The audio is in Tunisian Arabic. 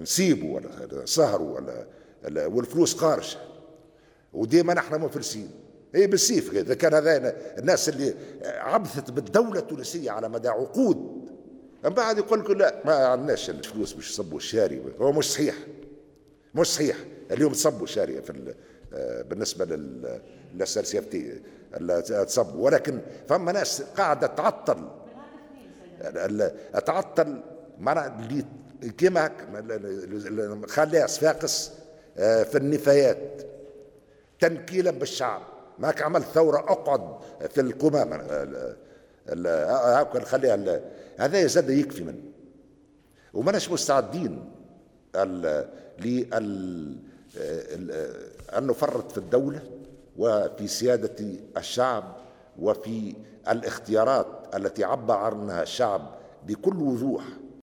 نسيبوا ولا سهروا ولا والفلوس قارشه، وديما نحن مفلسين. اي بالسيف اذا كان هذا الناس اللي عبثت بالدولة التونسية على مدى عقود، من بعد يقول لك لا ما عندناش الفلوس باش يصبوا الشاري. هو مش صحيح، مش صحيح. اليوم تصبوا الشاري في بالنسبة لل SNCFT تصبوا، ولكن فما ناس قاعدة تعطل تعطل اللي كيما خليها صفاقس في النفايات تنكيلا بالشعب. ماك عملت ثورة، اقعد في القمامة هاكا خليها. هذا زاد يكفي منه، وماناش مستعدين لل أن نفرط في الدولة وفي سيادة الشعب وفي الاختيارات التي عبر عنها الشعب بكل وضوح.